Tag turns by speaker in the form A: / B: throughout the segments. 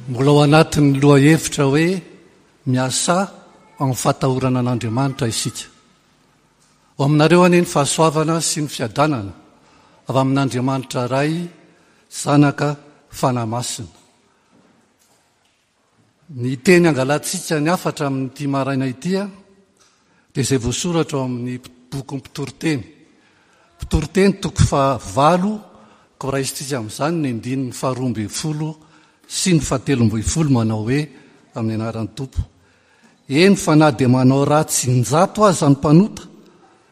A: Mbola ao anatin'ny lohahevitra hoe miasà amin'ny fahatahorana an'Andriamanitra isika. Ho aminareo anie ny fahasoavana sy ny fiadanana avy amin'Andriamanitra Ray, Zanaka, Fanahy Masina. Ny teny angalantsika ny hafatra amin'ity maraina ity dia izay voasoratra ao amin'ny bokin'ny Mpitoriteny. Mpitoriteny toko fahavalo, koa raisintsika amin'izany ny andininy faharoa ambin'ny folo sy ny fahatelo ambin'ny folo manao hoe amin'ny anaran'ny Tompo. Eny fa na dia manao ratsy injato aza ny mpanota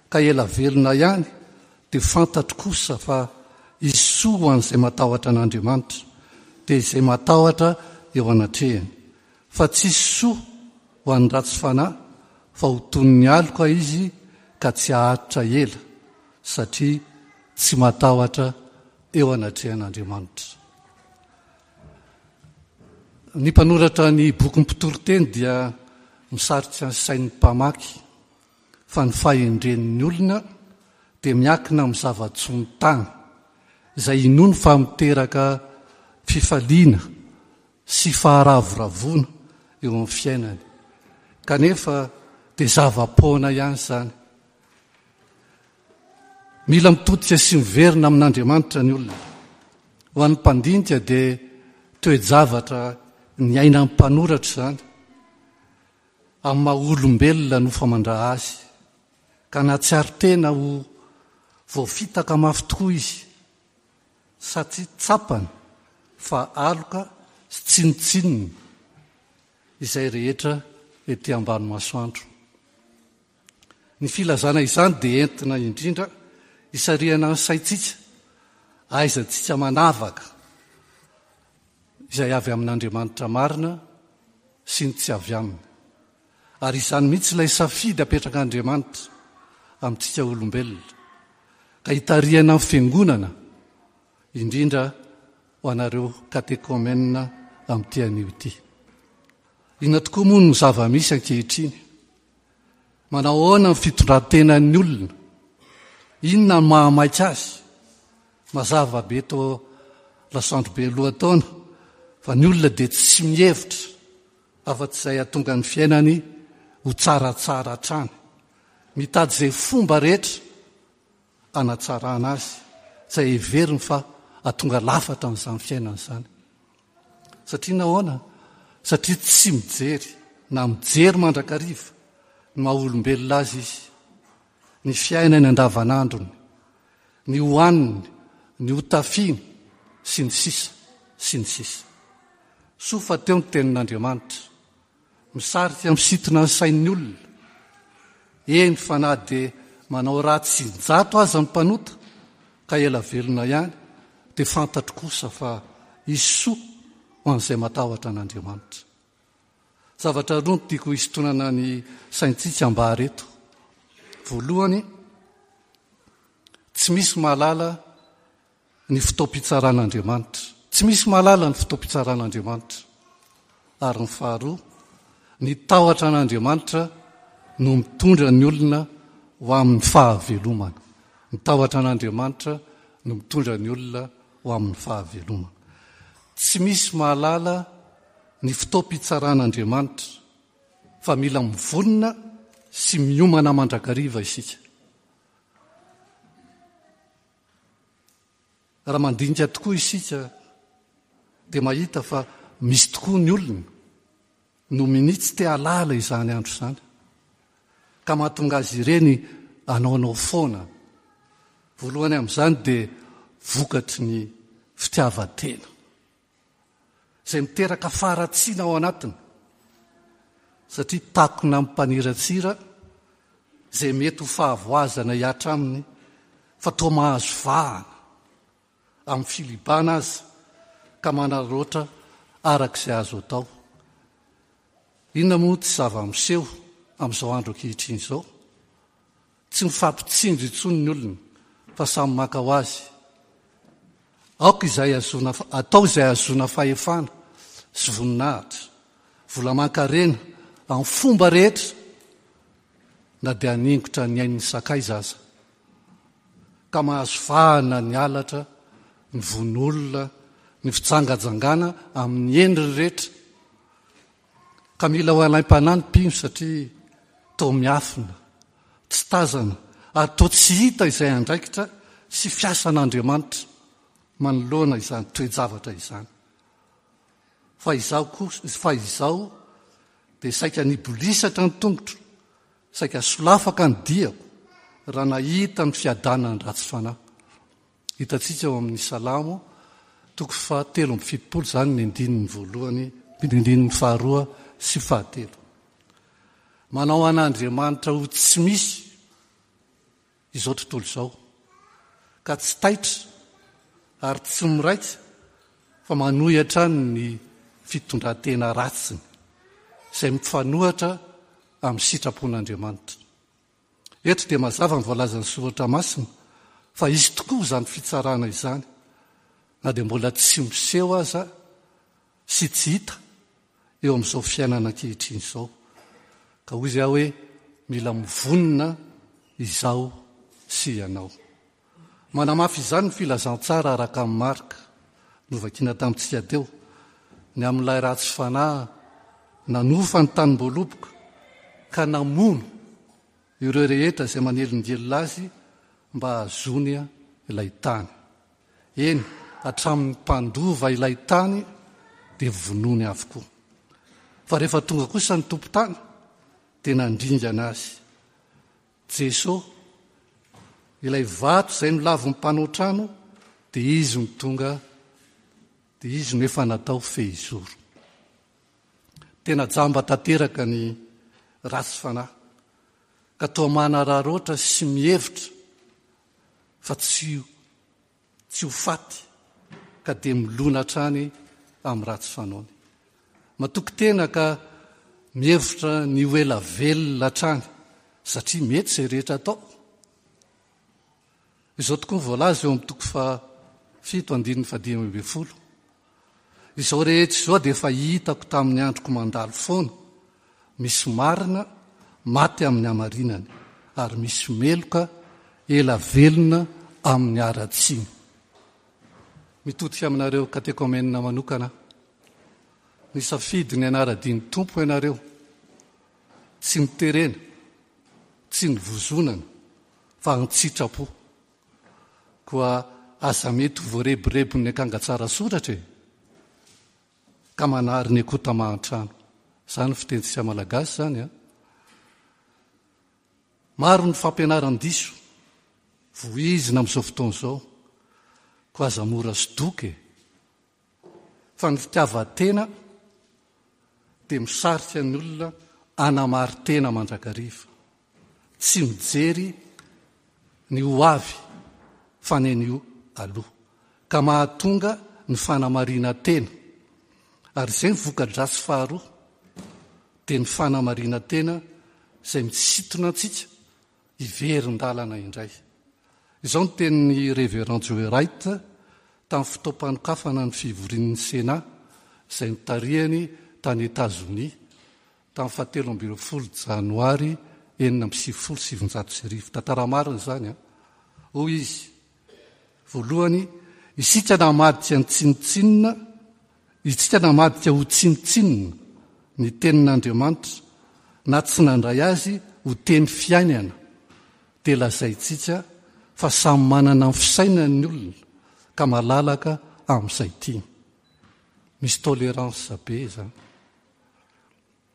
A: ka ela velona ihany dia fantatro kosa fa hisy soa ho an'izay matahotra an'Andriamanitra, dia izay matahotra eo anatrehany. Fa tsy hisy soa ho an'ny ratsy fanahy, fa ho toy ny aloka izy ka tsy haharitra ela, satria tsy matahotra eo anatrehan'Andriamanitra. Ny mpanoratra ny bokin'ny Mpitoriteny dia misarika ny sain'ny mpamaky fa ny fahendren'ny olona dia miankina amin'ny zava-tsoa ny tany, izay inoany fa miteraka fifaliana sy faharavoravoana eo amin'ny fiainany. Kanefa dia zava-poana ihany izany. Mila mitodika sy miverina amin'Andriamanitra ny olona. Ho an'ny mpandinika dia toe-javatra niainan'ny mpanoratra izany. Amin'ny maha olombelona no famandra azy, ka nahatsiaro tena ho voafitaka mafy tokoa izy, satria tsapany fa aloka sy tsinontsinona izay rehetra ety ambany masoandro. Ny filazana izany dia entina indrindra hisarihana ny saintsika, ahaizantsika manavaka izay avy amin'Andriamanitra marina sy ny tsy avy aminy. Ary izany mihitsy ilay safidy apetrak'Andriamanitra amintsika olombelona, ka hitarihana ny Fiangonana, indrindra ho anareo katekomena amin'ity anio ity. Inona tokoa moa no zava-misy ankehitriny? Manao ahoana ny fitondran-tenan'ny olona? Inona no mahamaika azy? Mazava be toa lasandro be lohataona fa ny olona dia tsy mihevitra afa-tsy izay hahatonga ny fiainany ho tsaratsara hatrany. Mitady izay fomba rehetra hanatsarana azy, izay heveriny fa hahatonga lafatra an'izany fiainana izany. Satria nahoana? Satria tsy mijery na mijery mandrakariva ny maha olombelona azy izy, ny fiainany andavanandrony, ny hohaniny, ny hotafiany, sy ny sisa sy ny sisa. Soa fa teo ny tenin'Andriamanitra. Misarika misintona ny sain'ny olona. Eny fa na dia manao ratsy injato aza ny mpanota ka ela velona ihany dia fantatro kosa fa hisy soa ho an'izay matahotra an'Andriamanitra. Zavatra roa no tiako hisintonana ny saintsika ambara eto. Voalohany, tsy misy mahalala ny fotoam-pitsaran'Andriamanitra. Tsy misy mahalala ny fotoam-pitsaran'Andriamanitra. Ary ny faharoa, ny tahotra an'Andriamanitra no mitondra ny olona ho amin'ny fahavelomana. Ny tahotra an'Andriamanitra no mitondra ny olona ho amin'ny fahavelomana. Tsy misy mahalala ny fotoam-pitsaran'Andriamanitra fa mila mivonona sy miomana mandrakariva isika. Raha mandinika tokoa isika dia mahita fa misy tokoa ny olona no minia tsy te hahalala izany andro izany ka mahatonga azy ireny hanaonao foana. Voalohany amin'izany dia vokatry ny fitiavan-tena izay miteraka faharatsiana ao anatiny satria takona amin'ny mpaniratsira izay mety ho fahavoazana hihatra aminy fa toa mahazo vahana amin'ny filibana aza ka manararaotra araka izay azo atao. Inona moa tsy zava-miseho amin'izao andro ankehitriny izao? Tsy mifampitsinjo intsony ny olona fa samy maka ho azy. Aoka izay ahazoana atao izay ahazoana fahefana sy voninahitra, vola aman-karena amin'ny fomba rehetra na dia haningotra ny ain'ny sakaiza aza. Ka mahazo vahana ny halatra, ny vono olona, ny fijangajangana amin'ny endriny rehetra. Ka mila ho alaim-panahy ny mpino satria toa miafina, tsy tazana ary toa tsy hita izay andraikitra sy fiasan'Andriamanitra manoloana izany toe-javatra izany. Fa izaho kosa, fa izao dia saika nibolisatra ny tongotro, saika solafaka ny diako raha nahita ny fiadanan'ny ratsy fanahy. Hitantsika ao amin'ny Salamo toko faha 73 izany ny andininy voalohany, ny andininy faharoa sy fahatelo. Manao an'Andriamanitra ho tsy misy izao tontolo izao, ka tsy taitra ary tsy miraika fa manohy hatrany ny fitondran-tena ratsiny, izay mifanohatra amin'ny sitrapon'Andriamanitra. Eto dia mazava ny voalazan'ny Soratra Masina fa hisy tokoa izany fitsarana izany, na dia mbola tsy miseho aza sy tsy hita eo amin'izao fiainana ankehitriny izao. Ka hoy aho hoe mila mivonona izaho sy ianao. Manamafy izany ny filazantsara araka an'i Marka, novakina tamintsika teo, ny amin'ilay ratsy fanahy nanofa ny tanim-boaloboka ka namono ireo rehetra izay manelingelina azy mba hahazoany ilay tany. Eny, hatramin'ny mpandova ilay tany dia vonoiny avokoa. Fa rehefa tonga kosa ny tompon-tany dia nandringana azy. Jeso, ilay vato izay nolavin'ny mpanao trano dia izy no tonga, dia izy no efa natao fehizoro. Tena jamba tanteraka ny ratsy fanahy, ka toa manararaotra sy mihevitra fa tsy tsy ho faty ka dia milona hatrany amin'ny ratsy fanaony. Matoky tena ka mihevitra ny ho ela velona hatrany satria mety izay rehetra atao. Izao tokoa ny voalaza eo amin'ny toko fahafito andininy fahadimy ambin'ny folo. Izao rehetra izao dia efa hitako tamin'ny androko mandalo foana, misy marina maty amin'ny hamarinany, ary misy meloka ela velona amin'ny haratsiany. Mitodika aminareo katekomena manokana aho. Nisafidy ny hanara-dia ny Tompo ianareo. Tsy noterena, tsy nivozonana, fa an-tsitrapo. Koa aza mety ho voarebirebin'ny akanga tsara soratra e! Ka manary ny akoho tamahan-trano. Izany fitenintsika malagasy izany an! Maro ny fampianaran-diso voizina amin'izao fotoana izao, koa aza mora sodoka e! Fa ny fitiavan-tena dia misarika ny olona hanamari-tena mandrakariva. Tsy mijery ny ho avy fa ny anio aloha. Ka mahatonga ny fanamarinan-tena. Ary izay ny voka-dratsy faharoa dia ny fanamarinan-tena izay misintona antsika hiverin-dalana indray. Izao ny tenin'ny Reverend Joe Wright tamin'ny fotoam-panokafana ny fivorian'ny Sénat izay notarihany tany Etazonia tamin'ny fahatelo 13 janoary 1996. Tantara marina izany an! Hoy izy, Voalohany, isika namadika ny tsinontsinona, isika namadika ho tsinontsinona ny tenin'Andriamanitra na tsy nandray azy ho teny fiainana, dia lazaintsika fa samy manana ny fisainany ny olona ka malalaka amin'izay tiany. Misy tolérance be izany.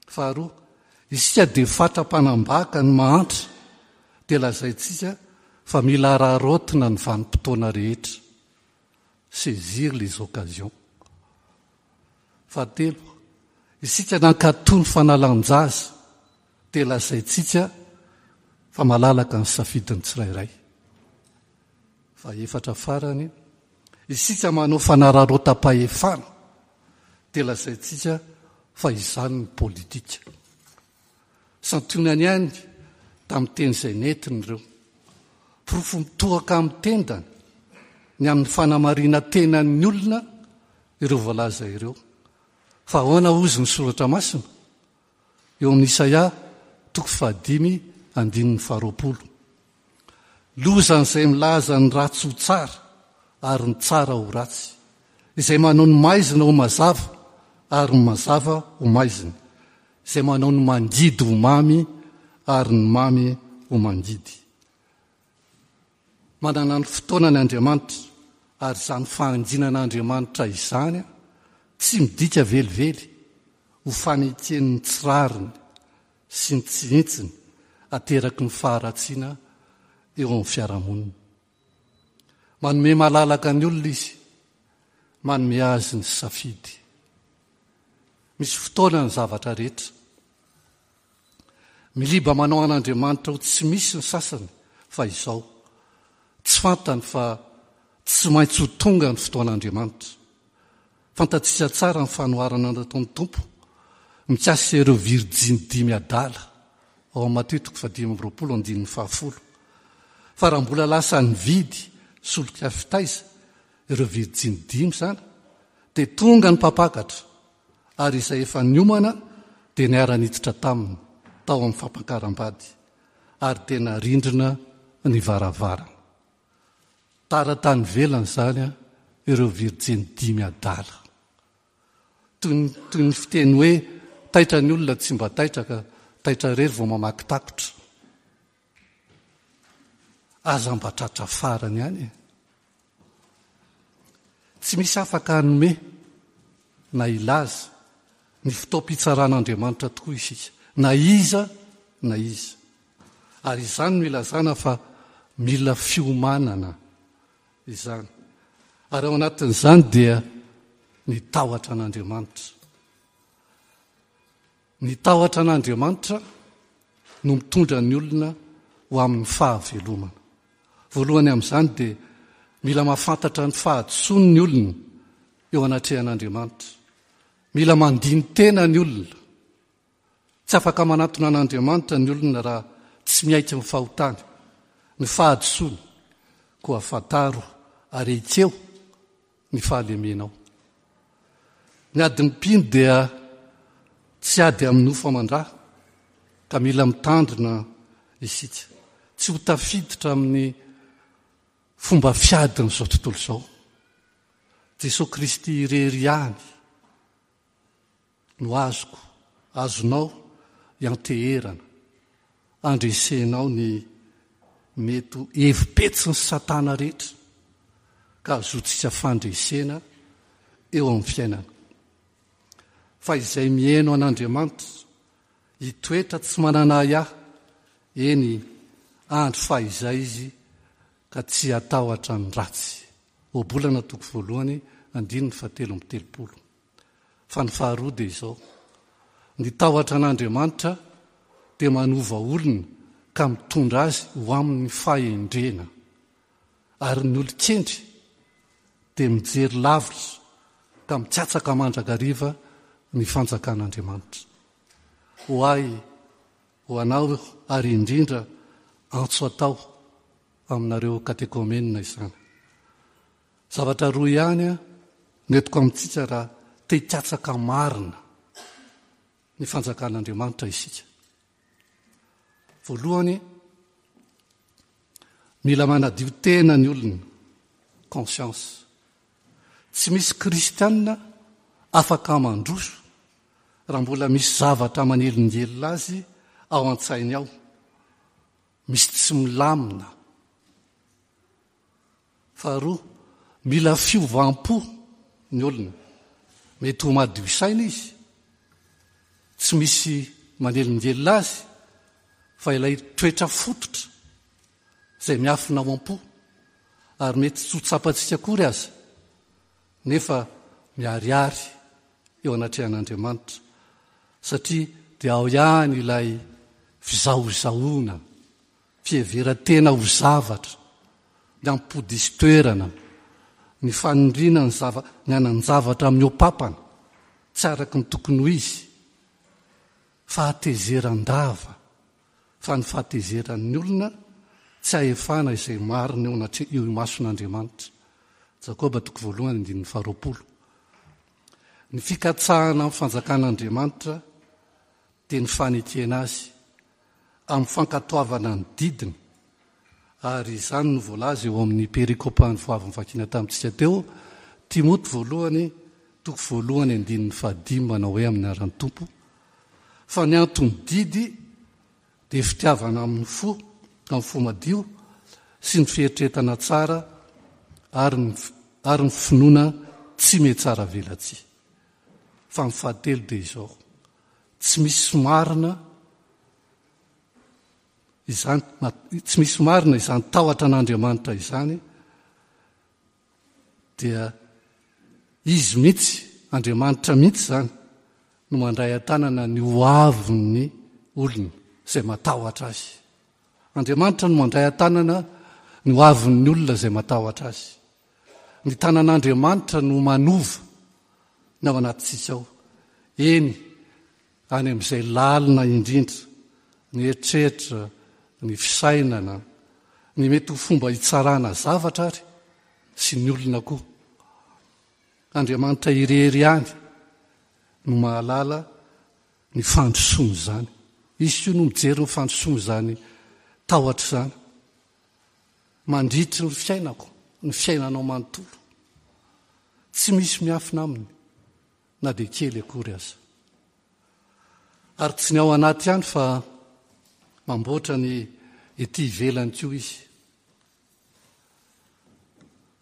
A: Faharoa, isika dia fatra-panambaka ny mahantra, dia lazaintsika fa mila araraotina ny vanim-potoana rehetra, saisir les occasions. Fahatelo, isika nankatò ny fanalan-jaza, dia lazaintsika fa malalaka ny safidin'ny tsirairay. Fahefatra farany, isika manao fanararaotam-pahefana, dia lazaintsika fa izany ny politika. Santionany ihany tamin'ny teny izay nentiny ireo. Porofo mitohaka amin'ny tendany ny amin'ny fanamarinan-tenan'ny olona ireo voalaza ireo. Fa ahoana hozy ny soratra masina? Eo amin'ny Isaia toko fahadimy andininy faharoapolo. Lozan'izay milaza ny ratsy ho tsara ary ny tsara ho ratsy. Izay manao ny maizina ho mazava ary ny mazava ho maizina. Izay manao ny mangidy ho mamy ary ny mamy ho mangidy. Manana ny fotoanany Andriamanitra ary izany fahanginan'Andriamanitra izany tsy midika velively ho fanekeny ny tsy rariny sy ny tsy hintsiny ateraky ny faharatsiana eo amin'ny fiarahamonina. Manome malalaka ny olona izy, manome azy ny safidy. Misy fotoana ny zavatra rehetra. Miliba manao an'Andriamanitra ho tsy misy ny sasany fa izao, tsy fantany fa tsy maintsy ho tonga ny fotoan'Andriamanitra. Fantatsika tsara ny fanoharana nataon'ny Tompo mikasika ireo virjiny dimy adala ao amin'ny Matio toko fahadimy amby 20 andininy fahafolo. Fa raha mbola lasa nividy solika fitaiza ireo virjiny dimy izany dia tonga ny mpampakatra ary izay efa niomana dia niara-niditra taminy tao amin'ny fampakaram-bady ary dia narindrina ny varavarana. Tara tany ivelany izany ireo virjiny dimy adala. Toy ny, toy ny fiteny hoe taitra ny olona tsy mba taitra ka taitra irery vao mamaky takotra. Aza mba tratra farany ihany e. Tsy misy afaka hanome na hilaza ny fotoam-pitsaran'Andriamanitra tokoa isika, na iza na iza. Ary izany no ilazana fa mila fiomanana izany. Ary ao anatin'izany dia ny tahotra an'Andriamanitra. Ny tahotra an'Andriamanitra no mitondra ny olona ho amin'ny fahavelomana. Voalohany amin'izany dia mila mahafantatra ny fahadisoany ny olona eo anatrehan'Andriamanitra. Mila mandini-tena ny olona. Tsy afaka manatona an'Andriamanitra ny olona raha tsy miaiky ny fahotany, ny fahadisoany. Koa fantaro ary ekeo ny fahalemenao. Ny adin'ny mpino dia tsy ady amin'ny nofo aman-dra ka mila mitandrina isika tsy ho tafiditra amin'ny fomba fiadin'izao tontolo izao. Jesoa Kristy irery ihany no azoko, azonao ianteherana, andresenao ny mety ho hevi-petsin'i Satana rehetra ka ahazoantsika fandresena eo amin'ny fiainana. Fa izay mihaino an'Andriamanitra, hitoetra tsy manana ahiahy, eny, andro fahizay izy ka tsy hatahotra ny ratsy. Ohabolana toko voalohany andininy fahatelo amby 30. Fa ny faharoa dia izao, ny tahotra an'Andriamanitra dia manova olona ka mitondra azy ho amin'ny fahendrena. Ary ny olon-kendry dia mijery lavitra ka mikatsaka mandrakariva ny fanjakan'Andriamanitra. Ho ahy, ho anao ary indrindra antso atao aminareo katekomenina izany. Zavatra roa ihany no entiko amintsika raha te hikatsaka marina ny fanjakan'Andriamanitra isika. Voalohany, mila manadio tena ny olona, conscience. Tsy misy kristianina afaka mandroso raha mbola misy zavatra manelingelina azy ao an-tsainy ao, misy tsy milamina. Faharoa, mila fiovam-po ny olona. Mety ho madio saina izy, tsy misy manelingelina azy, fa ilay toetra fototra izay miafina ao am-po ary mety tsy ho tsapantsika akory aza, nefa miharihary eo anatrehan'Andriamanitra, satria dia ao ihany ilay fizahozahoana fiheveran-tena ho zavatra, ny ampody toerana, ny fanindriana ny zava ny hanan-javatra mihoa-papana, tsy araka ny tokony ho izy, fahatezeran-dava, fa ny fahatezeran'ny olona tsy ahefana izay marina eo anatre eo imason'Andriamanitra. Jakoba toko voalohany andininy faharoapolo. Ny fikatsahana ny fanjakan'Andriamanitra dia ny fanekena azy amin'ny fankatoavana ny didiny, ary izany no voalaza eo amin'ny perikopa vao avy novakiana tamintsika teo, Timoty voalohany toko voalohany andininy fahadimy manao hoe amin'ny anaran'ny Tompo fa ny anton'ny didy dia fitiavana amin'ny fo, amin'ny fo madio sy ny fieritreretana tsara ary ny ary ny finoana tsy mihatsara velatsihy. Fa ny fahatelo dia izao, tsy misy marina izany, tsy misy marina izany tahotra an'Andriamanitra izany dia Izy mihitsy, Andriamanitra mihitsy izany, no mandray an-tanana ny ho avin'ny olona izay matahotra Azy. Andriamanitra no mandray an-tanana ny ho avin'ny olona izay matahotra Azy. Ny tanan'Andriamanitra no manova ny ao anatintsika ao. Eny, any amin'izay lalina indrindra, ny eritreritra, ny fisainana, ny mety ho fomba hitsarana zavatra ary sy ny olona koa. Andriamanitra irery ihany no mahalala ny fandrosoan'izany. Izy koa no mijery ny fandrosoan'izany tahotra izany. Mandritry ny fiainako, ny fiainanao manontolo. Tsy misy miafina aminy. na dia kely akory aza. Ary tsy ny ao anaty ihany fa mamboatra ny ety ivelany koa izy.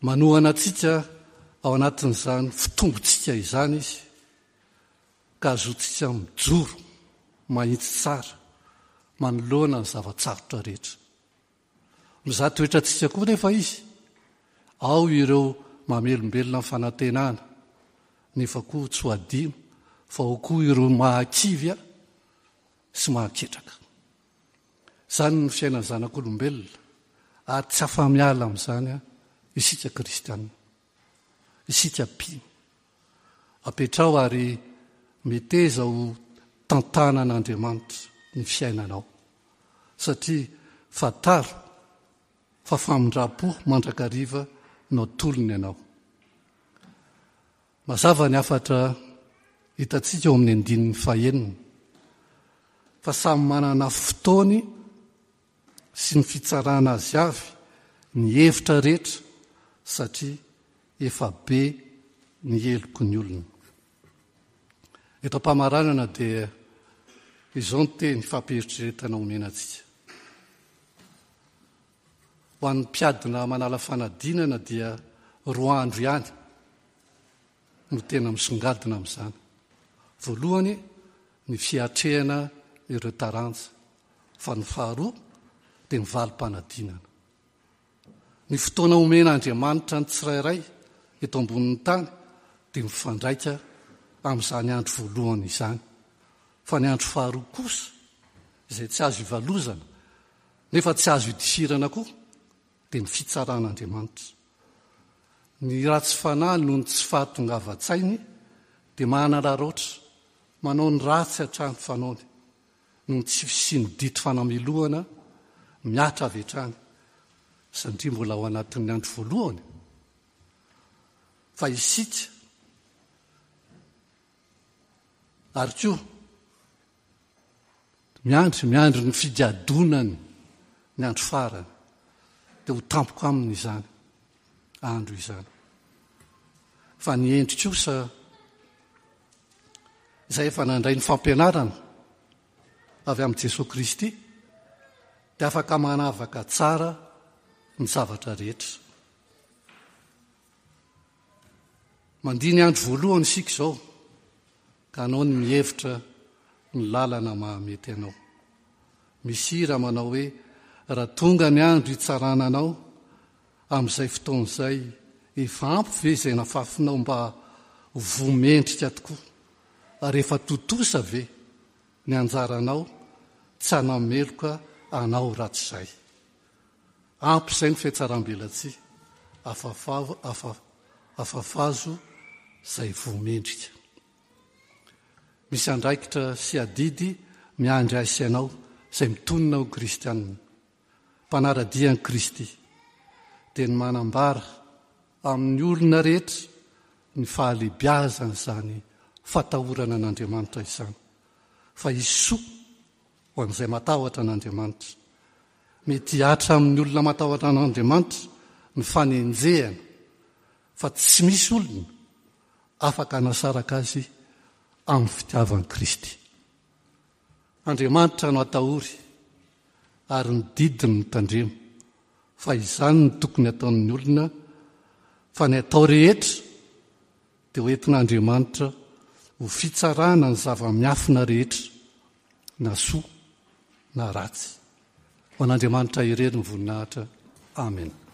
A: Manohana antsika ao anatin'izany fitombontsika izany izy ka azontsika mijoro mahitsy tsara manoloana ny zava-tsarotra rehetra. Mizaha toetra antsika koa nefa izy. Ao ireo mamelombelona ny fanantenana, nefa koa tsy ho adino fa ao koa ireo mahakivy sy mahaketraka. Izany no fiainan'ny zanak'olombelona ary tsy afa-miala amin'izany isika kristiana. Isika mpino. Apetraho ary meteza ho tantanan'Andriamanitra ny fiainanao, satria fantaro fa famindram-po mandrakariva no atolony anao. Mazava ny hafatra hitantsika ao amin'ny andininy fahenina, fa samy manana fotoany sy ny fitsarana azy avy ny hevitra rehetra satria efa be ny heloky ny olona. Eto am-pamaranana dia izao ny teny fampieritreretana omena antsika. Ho an'ny mpiadina manala fanadinana dia roa andro ihany no tena misongadina amin'izany. Voalohany ny fiatrehana ireo taranja, fa ny faharoa dia ny valim-panadinana. Ny fotoana omen'Andriamanitra ny tsirairay eto ambonin'ny tany dia mifandraika amin'izany andro voalohany izany. Fa ny andro faharoa kosa, izay tsy azo ivalozana nefa tsy azo idifirana koa, dia ny fitsaran'Andriamanitra. Ny ratsy fanahy noho ny tsy fahatongavan-tsainy dia manararaotra, manao ny ratsy hatrany fanaony. noho ny tsy fisian'ny didy fanamelohana mihatra avy hatrany satria mbola ao anatin'ny andro voalohany fa isika ary koa miandry miandry ny figadonany ny andro farany dia ho tampoka aminy izany andro izany fa ny endry kosa izay efa nandray ny fampianarana avy amin'i Jesoa Kristy dia afaka manavaka tsara ny zavatra rehetra. Mandia ny andro voalohany isika izao ka anao ny mihevitra ny lalana mahamety anao. Misy hira manao hoe raha tonga ny andro hitsarana anao Amin'izay fotoana izay, efa ampy ve izay nafafinao mba ho voa mendrika tokoa? Ary efa tontosa ve ny anjaranao tsy hanameloka anao rahatrizay? Ampy izay ny fihatsaram-belatsihy, afafazo izay voa mendrika. Misy andraikitra sy adidy miandry ahy sy ianao izay mitonona ho kristianina. mpanara-dia an'i Kristy, dia ny manambara amin'ny olona rehetra ny fahalehibiazan'izany fatahorana an'Andriamanitra izany, fa hisy soa ho an'izay matahotra an'Andriamanitra. Mety hihatra amin'ny olona matahotra an'Andriamanitra ny fanenjehana. fa tsy misy olona afaka hanasaraka azy amin'ny fitiavan'i Kristy. Andriamanitra no atahory ary ny didiny no tandremo fa izany no tokony ataon'ny olona fa ny atao rehetra dia ho entin'Andriamanitra ho fitsarana ny zava-miafina rehetra na soa na ratsy. Ho an'Andriamanitra irery ny voninahitra. Amena.